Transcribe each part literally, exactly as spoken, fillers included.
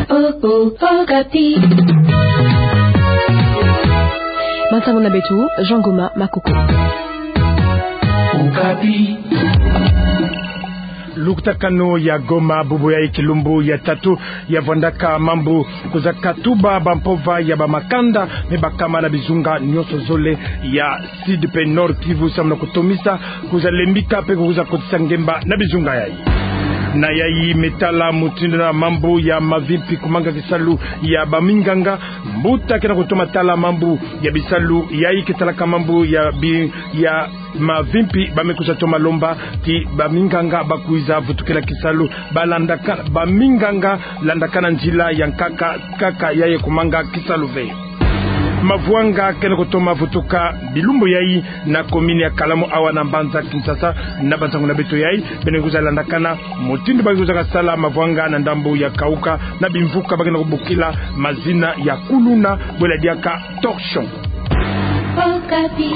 Oh, oh, Okapi. Bansango na beto, Jean Goma Makoko. Okapi. Lukutakanu ya Goma, bubu yayi kilumbu ya tatu ya vwandaka mambu, kuzaka tuba bampova ya bamakanda me bakama na bizunga nyonso zole ya Sud pe Nord Kivu samu na kutomisa, kwiza lembika pe kwiza kotisa ngemba na bizunga yayi. Na yayi me tala mutindu na mambu ya mavimpi kumanga kisalu ya baminganga. Mbuta ke na kutoma tala mambu ya bisalu yayi ke talaka mambu ya bi-, ya mavimpi, ba me kwiza toma lomba ti baminganga ba kwiza vutukila kisalu, balandaka, baminganga landakana nzila ya nkaka, nkaka yayi kumanga kisalu ve. Mavwanga ke na kutoma vutuka bilumbu yayi na commune ya Kalamu awa na mbanza Kinshasa. Na bansango na beto yayi, beno kwiza landakana mutindu ba kwiza kasala mavwanga na ndambu ya Kauka na bimvuka ba ke na kubokila mazina ya kuluna, bwela diaka torchon. Okapi.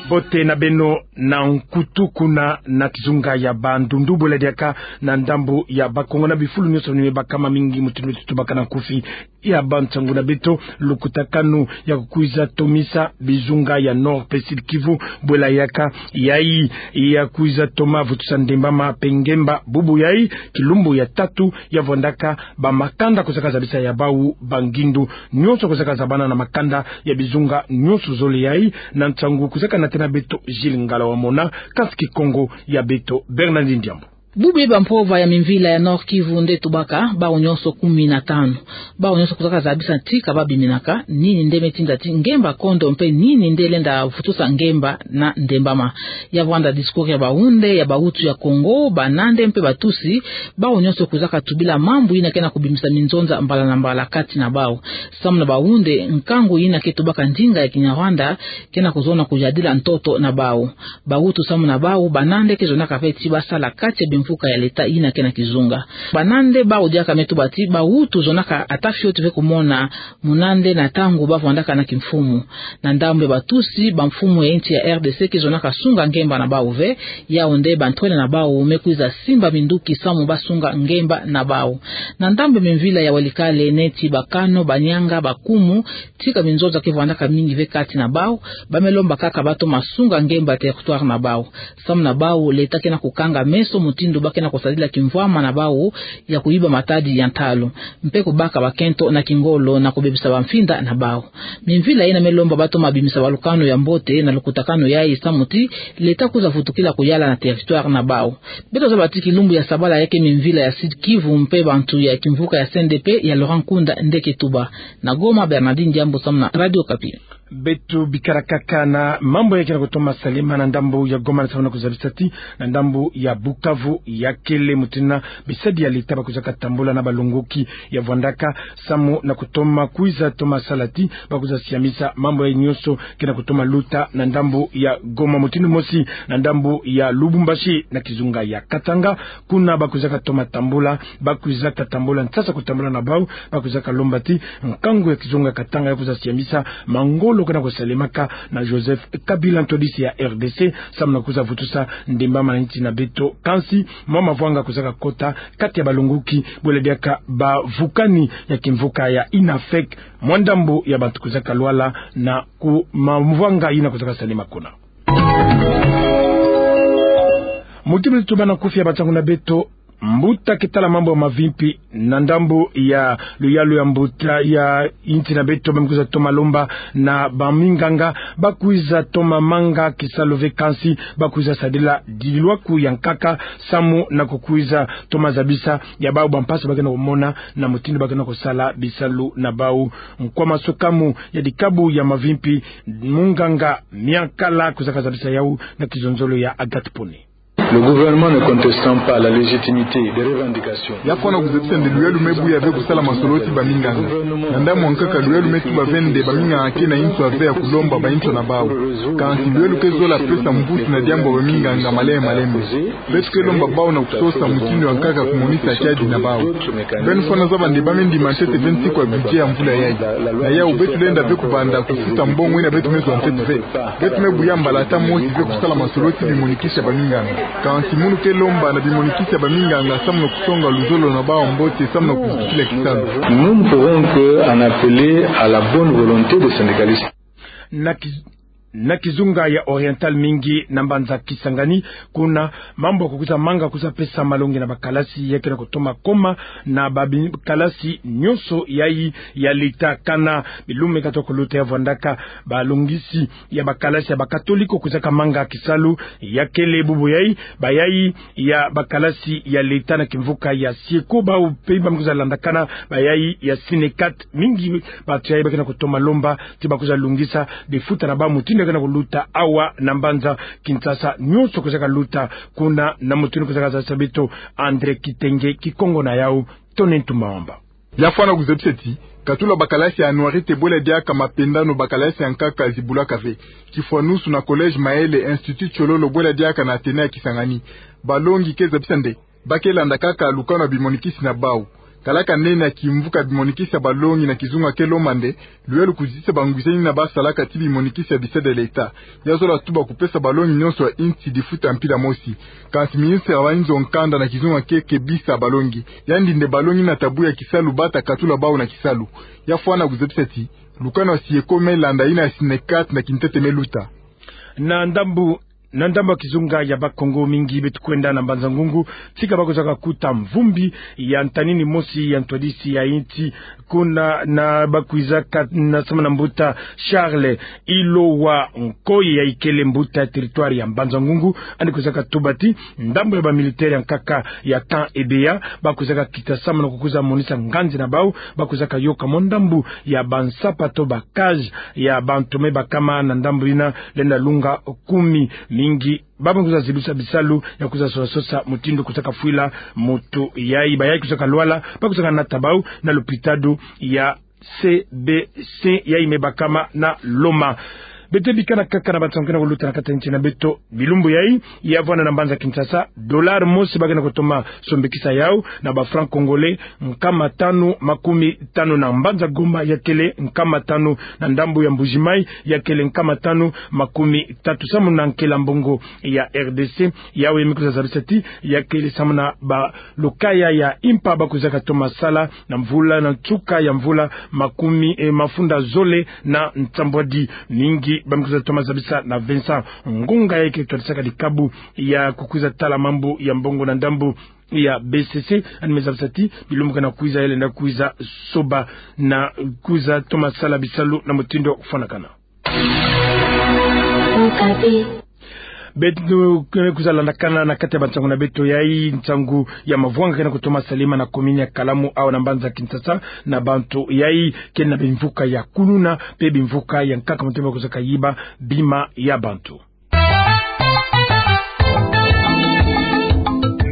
Mbote na beno na nkutu kuna na kizunga ya Bandundu, bwela diaka na ndambu ya Bakongo na bifulu nyonso ni me bakama mingi mutindu beto tubaka na nkufi ya bansango na beto. Lukutakanu ya kukwiza tomisa bizunga ya Nord pe Sud Kivu, bwela yaka yayi ya kwiza toma vutusa ndembama pe ngemba bubu yayi, kilumbu ya tatu ya vwandaka bamakanda kwiza kazabisa ya bawu bangindu nyonso kwiza kazabana na makanda ya bizunga nyonso zole yayi. Na nsangu kwiza kanatena beto Gilles Ngala Wamona, kansi Kikongo ya beto Bernardine Diambu. Bubu bampova ya mimvila ya Nord Kivu nde tubaka, bawu nyonso kumi na tanu. Bawu nyonso kwiza kazabisa nti ka babiminaka, nini nde me tinda ti ngemba kondo mpe nini nde lenda vutusa ngemba na ndembama. Ya vwanda discours ya bawunde, ya bawutu ya Kongo, banande mpe batusi, bawu nyonso kwiza katubila mambu yina ke na kubimisa minzonza mbala na mbala kati na bawu. Samu na bawunde, nkangu yina ke tubaka ndinga ya Kinyarwanda ke na kuzona kuyadila ntoto na bawu. Bawutu samu na bawu, banande ke zonaka ve ti basala kati ya bimvuka ya leta yina ke na kizunga. Banande bawu diaka me tuba ti bawutu zonaka ata fioti ve kumona munande na ntangu ba vwandaka na kimfumu. Na ndambu ya batusi, bamfumu ya insi ya R D C ke zonaka sunga ngemba na bawu ve, yawu nde bantwenia na bawu me kwiza simba minduki samu ba sunga ngemba na bawu. Na ndambu ya mimvila ya Walikale neti Bakano, Banianga, Bakumu, tika minzonza ke vwandaka mingi ve kati na bawu, ba me lomba kaka ba toma sunga ngemba territoire na bawu. Samu na bawu, leta ke na kukanga meso mutindu ba ke na kusadila kimvwama na bawu ya kuyiba matadi ya ntalu, mpe kubaka bakento na kingolo na kubebisa bamfinda na bawu. Mimvila yina me lomba ba toma bimisa balukanu ya mbote na lukutakanu yayi samu ti leta kwiza vutukila kuyala na territoire na bawu. Beto zaba ti kilumbu ya sabala ya ke mimvila ya Sud Kivu mpe bantu ya kimvuka ya C N D P ya Laurent Nkunda nde ke tuba. Na Goma, Bernardine Diambu samu na Radio Okapi. Beto bikala kaka na mambu ya ke na kutoma salama na ndambu ya Goma na samu na kuzabisa ti na ndambu ya Bukavu ya kele mutindu bisadi ya leta ba kwiza katambula na balongoki ya vwandaka samu na kutoma kwiza toma sala ti ba kwiza siamisa mambu yayi nyonso ke na kutoma luta na ndambu ya Goma. Mutindu mosi na ndambu ya Lubumbashi na kizunga ya Katanga, kuna ba kwiza katoma tambula, ba kwiza katambula, nsasa kutambula na bawu, ba kwiza kalomba ti nkangu ya kizunga Katanga ya kwiza siamisa mangolo ke na kusalemaka na Joseph Kabila, ntwadisi ya R D C, samu na kwiza vutusa ndembama na insi na beto. Kansi mwa mavwanga kwiza kakota kati ya balongoki, bwela diaka bavukani ya kimvuka ya INAFEC, mwa ndambu ya bantu kwiza kalwala na ku mavwanga yina kwiza kasalama kuna. Mutindu beto tubâ na nkufi ya bansangu na beto, mbuta ke tala mambu ya mavimpi na ndambu ya luyalu ya mbuta ya insi na beto, ba me kwiza toma lomba na baminganga ba kwiza toma manga kisalu ve, kansi ba kwiza sadila dilwaku ya nkaka samu na kukwiza toma zabisa ya bawu bampasi ba ke na kumona na mutindu ba ke na kusala bisalu na bawu. Nkwa masukamu ya dikabu ya mavimpi, munganga Miankala kwiza kazabisa yawu na kizonzolo ya Agathe Pone. Le gouvernement ne contestant pas la légitimité des revendications. Ya fwana kuzabisa nde luyalu me buya ve kusala masolo ti baminganga. Na ndambu ya nkaka luyalu me tuba ve nde baminganga ke na inswa ve ya kulomba ba inswa na bawu. Kansi luyalu ke zola pesa mvutu na diambu ya baminganga malembe malembe. Beto ke lomba bawu na kusosa mutindu ya nkaka kumonisa kiadi na bawu. Beno fwana zaba nde ba me ndima ntete ve nsiku ya budget ya mvula yayi. Na yawu beto lenda ve kubanda kufuta mbongo yina beto me zwa ntete ve. Beto me buya mbala ata mosi ve kusala masolo ti bimonikisa baminganga. Kansi munu ke lomba na bimonikisi ya baminganga samu na kusonga luzolo na bawu mbote samu na kuzikila kisalu. Nous ne pourrons que en appeler à la bonne volonté des syndicalistes. Na ki-, na kizunga ya Oriental mingi na mbanza Kisangani, kuna mambu ya kukwiza manga kwiza pesa malongi na bakalasi ya ke na kutoma koma na babi-, kalasi nyonso yayi ya leta, kana bilumbu katoka kuluta ya vwandaka balongisi ya bakalasi ya bakatoliko kwizaka manga kisalu ya kele bubu yayi, bayayi ya bakalasi ya leta na kimvuka ya Sieko, bawu pe bamkwiza landakana bayayi ya Synecat. Mingi bantu yayi ba ke na kutoma lomba ti bakwiza lungisa bifuta na bawu mutindu ya ke na kuluta awa na mbanza Kinshasa, nyonso kwizaka luta kuna na mutindu kwizaka zabisa beto André Kitenge. Kikongo na yawu, Tony Ntumba Wamba. Ya fwana kuzabisa ti katula bakalasi ya Anuarite bwela diaka mapendano bakalasi ya nkaka zibulaka ve. Kifwanusu na Collège Maele, Institut Tshololo bwela diaka na Athénée ya Kisangani. Balongi ke zabisa nde ba ke landa kaka lukanu ya bimonikisi na bawu. Kalaka nene ya kimvuka bimonikisi ya balongi na kizunga ke lomba nde luyalu kuzitisa bangwisani yina basalaka ti bimonikisi ya bisalu ya leta. Ya zola tuba kupesa balongi nyonso ya insi difuta mpila mosi. Kansi ministre ya bayinzo nkanda na kizunga ke kebisa balongi. Yandi nde balongi na tabu ya kisalu bata katula bawu na kisalu. Ya fwana kuzabisa ti lukanu ya Sieko me landa, yina ya Synecat na kintete me luta. Na ndambu, na ndambu ya kizunga ya Bakongo, mingi beto kwenda na Mbanza-Ngungu, tika bakwizaka kuta mvumbi ya ntanini mosi ya ntwadisi ya insi, kuna na bakwizaka na samu na mbuta Charles Ilowa Nkoy, yayi kele mbuta ya territoire ya Mbanza-Ngungu, yandi kwizaka tuba ti ndambu ya bamilitaire ya nkaka ya Camp Ebeya bakwizaka kita samu na kukwiza monisa nganzi na bawu, bakwizaka yoka mo ndambu ya bansapa to ba cage ya bantu me bakama na ndambu yina lenda lunga kumi. Mingi ba bamkwiza zibisa bisalu ya kwiza sosa sosa mutindu kwizaka fwila muntu yayi. Bayayi kwizaka lwala, bakwizaka nata bawu na lopitalo ya C B C yayi me bakama na Loma. Beto bikana kaka na bansangu ke na kuluta na kati ya insi na beto bilumbu yayi. Ya vwanda na mbanza Kinshasa, dollar mosi ba ke na kutoma sombikisa yawu na ba francs congolais nkama tanu makumi tanu. Na mbanza Goma ya kele nkama tanu, na ndambu ya Mbuji-Mayi ya kele nkama tanu makumi tatu. Samu na nkela mbongo ya R D C, yawu ya me kwiza zabisa ti ya kele samu na balokaya ya impa bakwizaka toma sala na mvula, na nsuka ya mvula makumi, eh, mafunda zole na nsambwadi. Mingi ba me kwiza toma zabisa na Vincent Ngonga, yayi ke twadisaka dikabu ya kukwiza tala mambu ya mbongo na ndambu ya B C C, yandi me zabisa ti bilumbu ke na kwiza ya lenda kwiza soba na kwiza toma sala bisalu na mutindu kufwanakana. Beto ke kwiza landakana na kati ya bansangu na beto yayi nsangu ya mavwanga ke na kutoma salama na commune ya Kalamu awa na mbanza Kinshasa, na bantu yayi ke na bimvuka ya kuluna pe bimvuka ya nkaka, mutindu ba kwizaka yiba bima ya bantu.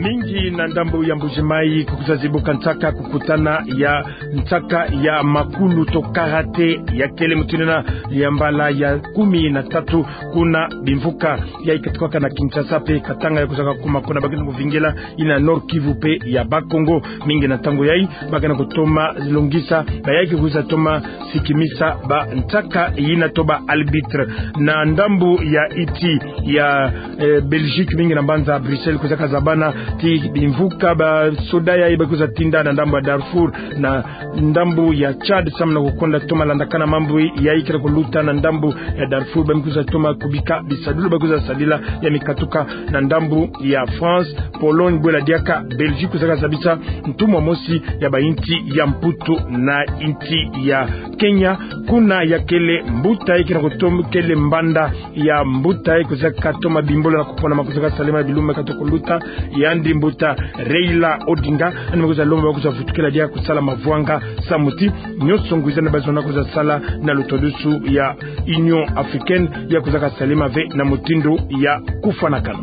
Mingi na ndambu ya Mbuji-Mayi kukwiza zibuka nsaka kukutana ya nsaka ya makulu to karaté ya kele mutindu yina ya mbala ya kumi na tatu kuna bimvuka yayi katuka na Kinshasa pe Katanga, ya kwizaka kuma kuna ba ke na kuvingila yina Nord-Kivu pe ya Bas-Congo. Mingi na ntangu yayi ba ke na kutoma longisa bayayi ke kwiza toma sikimisa bansaka yina to ba arbitre. Na ndambu ya insi ya, eh, Belgique, mingi na mbanza Bruxelles kwizaka zabana ti bimvuka basoda yayi ba kwiza tinda na ndambu ya Darfour, na ndambu ya Tchad, samu na kukonda toma landakana mambu yayi ke na kuluta na ndambu ya Darfour. Ba me kwiza toma kubika bisadulu ba kwiza sadila ya me katuka na ndambu ya France, Pologne bwela diaka Belgique kwizaka zabisa ntumwa mosi ya bainsi ya Mputu na insi ya Kenya, kuna ya kele mbuta yayi ke na kutoma, kele mbanda ya mbuta yayi kwizaka toma bimbolo na kupona ma kwizaka salama bilumbu katoka kuluta, yandi mbuta Raila Odinga. Yandi me kwiza lomba ba kwiza vutukila diaka kusala mavwanga samu ti nyonso ngwizani ba zonza kwiza sala na lutwadusu ya Union Africaine ya kwizaka salama ve na mutindu ya kufwanakana.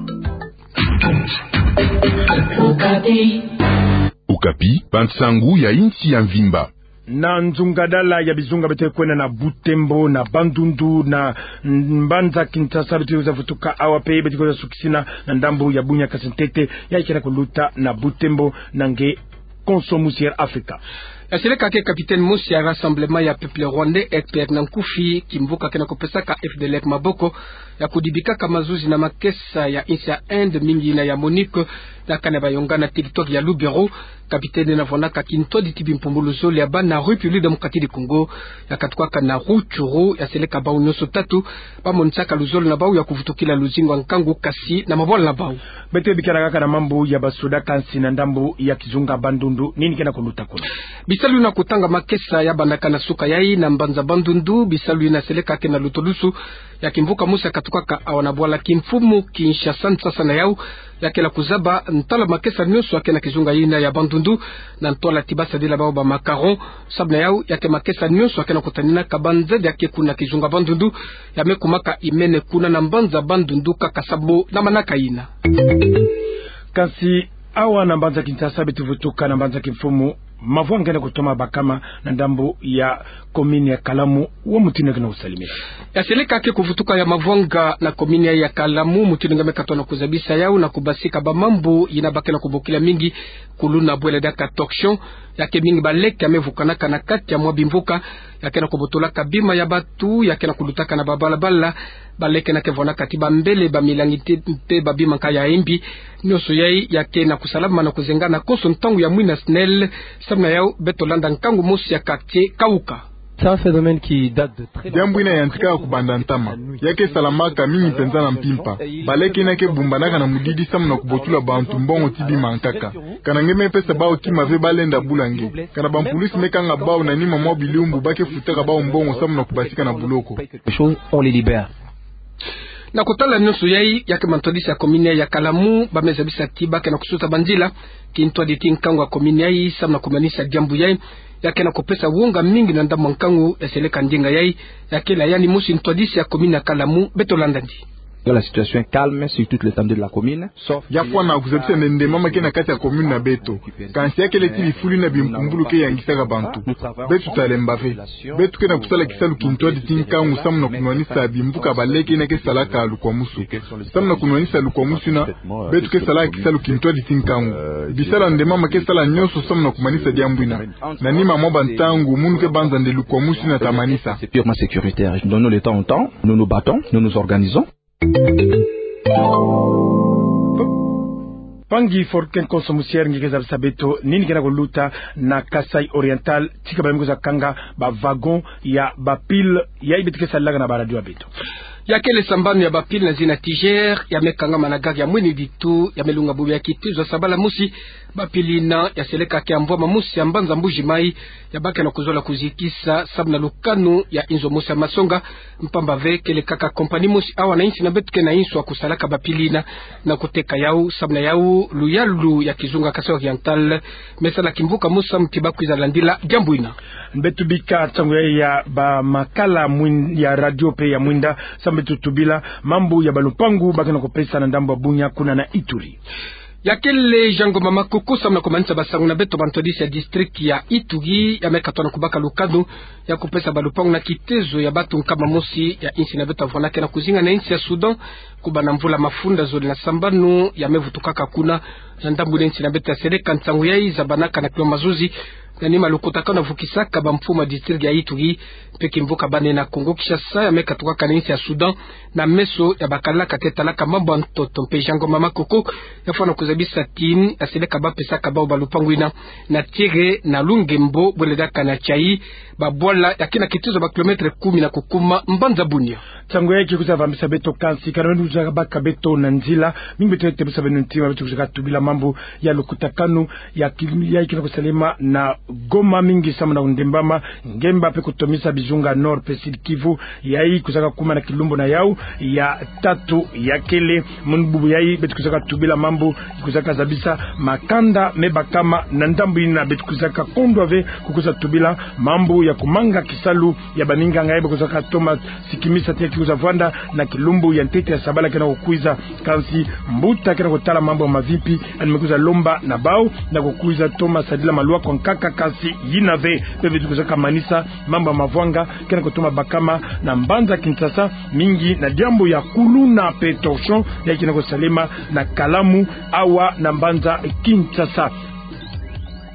Okapi, bansangu ya insi ya mvimba. Na nzungadala ya bizunga beto kwenda na Butembo, na Bandundu, na mbanza Kinshasa, beto kwiza vutuka awa pe, beto kwiza sukisina na ndambu ya Bunia-Kasese-Ntete, yayi ke na kuluta na Butembo na nge Konso Musi ya Afrika. Ya seleka ke capitaine mosi ya Rassemblement ya Peuple Rwandais, R P R na nkufi, kimvuka ke na kupesaka F D L R maboko ya kudibikaka mazuzi na makesa ya insi ya Inde, mingi yina ya MONUC, na kani ya bayongana territoire ya Lubero. Capitaine na vwanaka kintwadi ti bimpumbulu zole ya bana République Démocratique du Congo, ya katukaka na Rutshuru. Ya seleka bau nyonso tatu bamonisaka luzolo na bau ya kuvutukila luzingu ya nkangu, kasi na mabwala na bau. Beto bikala kaka na mambu ya basoda, kansi na ndambu ya kizunga Bandundu, nini ke na kuluta kuna? Bisalu yina kutanga makesa ya bandaka na suka yayi na mbanza Bandundu. Bisalu yina seleka ke na lutulusu ya kimvuka mosi ya katukaka awa na bwala kimfumu Kinshasa. Nsasa na yau, ya ke na kuzaba ntala makesa nyonso ya ke na kizunga yina ya Bandundu, na ntwala ti basadila bau ba macarons. Samu na yau, ya ke makesa nyonso ya ke na kutaninaka banzadi ya ke kuna kizunga Bandundu, ya me kumaka imene kuna na mbanza Bandundu kaka samu na manaka yina. Kansi awa na mbanza Kinshasa, beto vutuka na mbanza kimfumu, mavwanga ke na kutoma bakama na ndambu ya commune ya Kalamu, wa mutindu ke na kusalimina. Ya seleka ke kuvutuka ya mavwanga na commune ya Kalamu, mutindu nge me katona kuzabisa yau na kubasika bamambu yina ba ke na kubokila mingi kuluna bwele diaka torchon. Ya ke mingi baleke ya me vukanaka na kati ya mwa bimvuka, ya ke na kubotolaka bima ya batu, ya ke na kulutaka na babalabala, baleke yina ke vwanaka ti bambele, bamilangi ti mpe babima nka ya imbi. Nyonso yayi ya ke na kusalama na kuzengana konso ntangu ya mwina SNEL. Samu na yau, beto landa nkangu mosi ya quartier Kauka. C'est un phénomène qui date de très longtemps. Diambu yina yantika kubanda ntama. Ya ke salamaka mingi mpenza na mpimpa. Baleke yina ke bumbanaka na mudidi samu na kubotula bantu mbongo ti bima nkaka. Kana nge me pesa bau kima ve, ba lenda bula nge. Kana bampulisi me kanga bau, na nima mwa bilumbu ba ke futaka bau mbongo samu na kubasika na buloko. Les choses, on les libère. Na kotala nyonso yayi, ya ke mantwadisi ya commune ya Kalamu ba me zabisa ti ba ke na kusuta banzila kintwadi ti nkangu ya commune yayi samu na kumanisa diambu yayi. Ya ke na kupesa wonga mingi na ndambu ya nkangu ya seleka ndinga yayi. Ya ke la yani mosi ntwadisi ya commune ya Kalamu, beto landa ndi. La situation est calme sur toute l'étendue de la commune. Ya fwana kuzabisa nde nde mama ke na kati ya commune na beto. Kansi ya kele ti bifulu yina bimpumbulu ke yangisaka bantu. Beto talemba ve. Beto ke na kusala kisalu kintwadi ti nkangu samu na kunwanisa bimvuka baleke yina ke salaka lukwamusu. Samu na kunwanisa lukwamusu yina, beto ke salaka kisalu kintwadi ti nkangu. Bisalu ya nde mama ke sala nyonso samu na kumanisa diambu yina. Na nima mwa bantangu, munu ke banza nde lukwamusu yina ta manisa. C'est purement sécuritaire. Donnons le temps au temps. Nous nous battons, nous nous organisons. Mpangi Forkin Konso Musier, nge ke zabisa beto nini ke na kuluta na Kasaï Oriental, tika ba me kwiza kanga ba wagon ya ba pile yayi beto ke salaka na ba radio ya beto. Ya kele sambanu ya ba pile na zina Tiger, ya me kangama na gare ya Mwini Ditu, ya me lunga bubu ya kitezo ya sabala mosi. Ba pile yina ya seleka ke ya mvwama mosi ya mbanza Mbuji Mayi, ya ba ke na kuzola kuzikisa samu na lukanu ya inzo mosi ya masonga. Mpamba ve kele kaka compagnie mosi awa na insi na beto ke na inswa kusalaka ba pile yina na kuteka yau. Samu na yau, luyalu ya kizunga Kasaï Oriental me sala kimvuka mosi samu ti ba kwiza landila diambu yina. Beto bika nsangu ya, ya ba makala mwin-, ya radio mpe ya mwinda, samu beto tubila mambu ya ba lupangu ba ke na kupesa na ndambu ya Bunia kuna na Ituri. Ya kele Jean Ngoma Makoko samu na kumanisa ba nsangu na beto, ba ntwadisi ya district ya Ituri ya me katona kubaka lukanu ya kupesa ba lupangu na kitezo ya bantu nkama mosi ya insi na beto ya vwana ke na kuzinga na insi ya Soudan, kubanda mvula mafunda zole na sambanu ya me vutukaka kuna. Na ndambu na insi na beto ya seleka, nsangu yayi zabanaka na kima mazuzi na nima lukutakanu ya vukisaka ba mfumu ya district ya Ituri mpe kimvuka bana na Congo Kinshasa, ya me katukaka na insi ya Soudan, na meso ya ba kalaka te talaka mambu ya ntoto. Mpe Jean Ngoma Makoko ya fwana kuzabisa ti ya seleka ba pesaka bau ba lupangu yina na Tiere na Lungembo, bwele diaka na Tiayi, ba bwala ya ke na kitezo ba kilomètre kumi na kukuma mbanza Bunia. Nsangu yayi ke kwiza vambisa beto, kansi kana beto kwiza baka beto na nzila, mingi beto tebusa beno ntima, beto kwiza tubila mambu ya lukutakanu ya ki-, yayi ke na kusalema na Goma, mingi samu na kundembama ngemba mpe kutomisa bizunga Nord mpe Sud Kivu, yayi kwizaka kuma na kilumbu na yau ya tatu ya kele. Munu bubu yayi beto kwizaka tubila mambu kwizaka zabisa makanda me bakama na ndambu yina. Beto kwizaka kondwa ve kukwiza tubila mambu ya kumanga kisalu ya baninganga yayi ba kwizaka toma sikimisa ti ya ke kwiza vwanda na kilumbu ya ntete ya sabala ke na kukwiza. Kansi mbuta ke na kutala mambu ya mavimpi, yandi me kwiza lomba na bau na kukwiza toma sadila malwako nkaka, kansi yina ve. Mpe beto kwizaka manisa mambu ya mavwanga ke na kutoma bakama na mbanza Kinshasa, mingi na diambu ya kuluna mpe torchon yayi ke na kusalema na Kalamu awa na mbanza Kinshasa.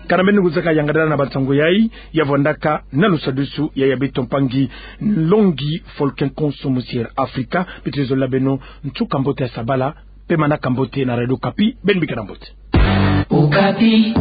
Kana beno kuzaka yanga dala na bansango yai, ya vandaka na lusadusu ya ya beto mpangi Nlongi Folkinson Musiere Afrika. Beto zololo beno ntu kambote ya sabala, pemana kambote na Radio Okapi, beno bika na mbote. Okapi.